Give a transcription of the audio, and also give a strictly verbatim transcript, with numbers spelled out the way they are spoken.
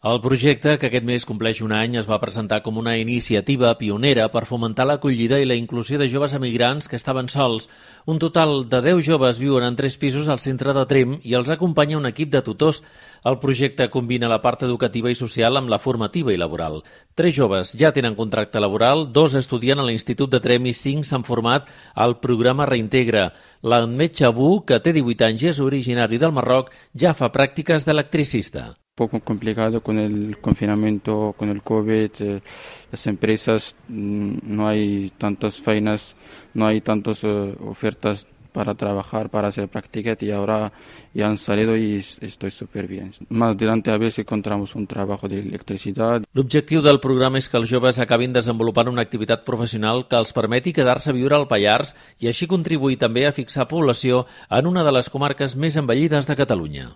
El projecte, que aquest mes compleix un any, es va presentar com una iniciativa pionera per fomentar l'acollida i la inclusió de joves emigrants que estaven sols. Un total de deu joves viuen en tres pisos al centre de Tremp i els acompanya un equip de tutors. El projecte combina la part educativa i social amb la formativa i laboral. Tres joves ja tenen contracte laboral, dos estudien a l'Institut de Tremp i cinc s'han format al programa Reintegra. L'Ahmed Chabou, que té divuit anys i és originari del Marroc, ja fa pràctiques d'electricista. Un poco complicado con el confinamiento, con el COVID, eh, las empresas, no hay tantas faenas, no hay tantas uh, ofertas para trabajar, para hacer prácticas y ahora ya han salido y estoy súper bien. Más adelante a ver si encontramos un trabajo de electricidad. L'objectiu del programa és que els joves acabin desenvolupant una activitat professional que els permeti quedar-se a viure al Pallars i així contribuir també a fixar població en una de les comarques més envellides de Catalunya.